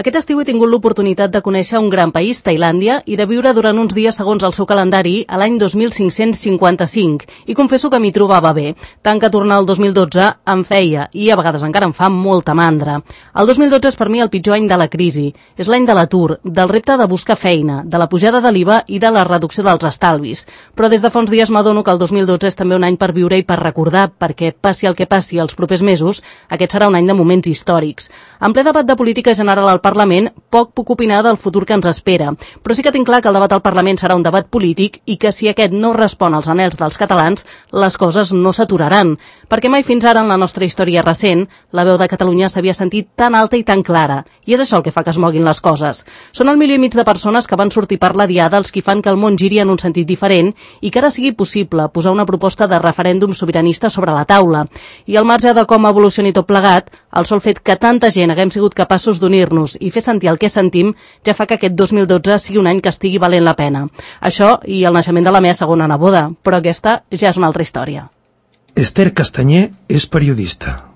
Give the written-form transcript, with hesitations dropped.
Aquest estiu he tingut l'oportunitat de conèixer un gran país, Tailàndia, i de viure durant uns dies segons el seu calendari a l'any 2555. I confesso que m'hi trobava bé, tant que tornar al 2012 em feia, i a vegades encara em fa molta mandra. El 2012 és per mi el pitjor any de la crisi. És l'any de l'atur, del repte de buscar feina, de la pujada de l'IVA i de la reducció dels estalvis. Però des de fa uns dies m'adono que el 2012 és també un any per viure i per recordar, perquè passi el que passi els propers mesos, aquest serà un any de moments històrics. En ple debat de política general al Parlament, poc puc opinar del futur que ens espera, però sí que tinc clar que el debat al Parlament serà un debat polític i que si aquest no respon als anhels dels catalans, les coses no s'aturaran, perquè mai fins ara en la nostra història recent la veu de Catalunya s'havia sentit tan alta i tan clara, i és això el que fa que es moguin les coses. Són 1,5 milió de persones que van sortir per la diada els qui fan que el món giri en un sentit diferent i que ara sigui possible posar una proposta de referèndum sobiranista sobre la taula. I al marge de com evolucioni tot plegat, el sol fet que tanta gent haguem sigut capaços d'unir-nos i fer sentir el que sentim ja fa que aquest 2012 sigui un any que estigui valent la pena. Això i el naixement de la meva segona neboda, però aquesta ja és una altra història. Esther Castanyer és periodista.